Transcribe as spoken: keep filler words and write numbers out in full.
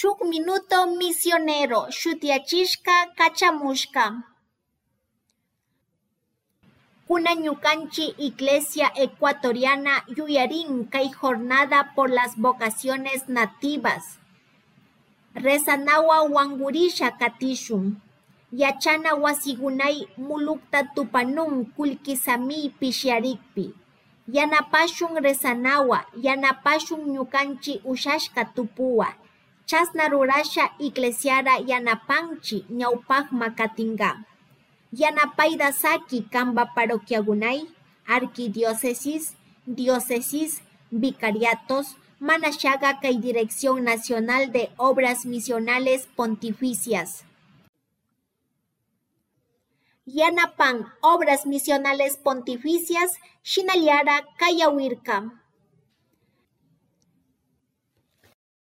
Shuk Minuto Misionero shutiyachishka kachamushka. Kunan ñukanchik Iglesia Ecuatoriana yuyarin kay Jornada por las Vocaciones Nativas. Rezanawan wankurisha katishun. Yachana wasikunay mulukta tupanun kullki samiy pishiarikpi. Yanapashun rezanawa, yanapashun ñukanchik ushashka tupuwa. Chasna rurasha Iglesiara yanapanchik ñawpakma katinka. Yanapayta saki kanpa parroquiakunay, arquidiócesis, diócesis, vicariatos, manashaka kay Dirección Nacional de Obras Misionales Pontificias. Yanapan Obras Misionales Pontificias shinallara kayawirka.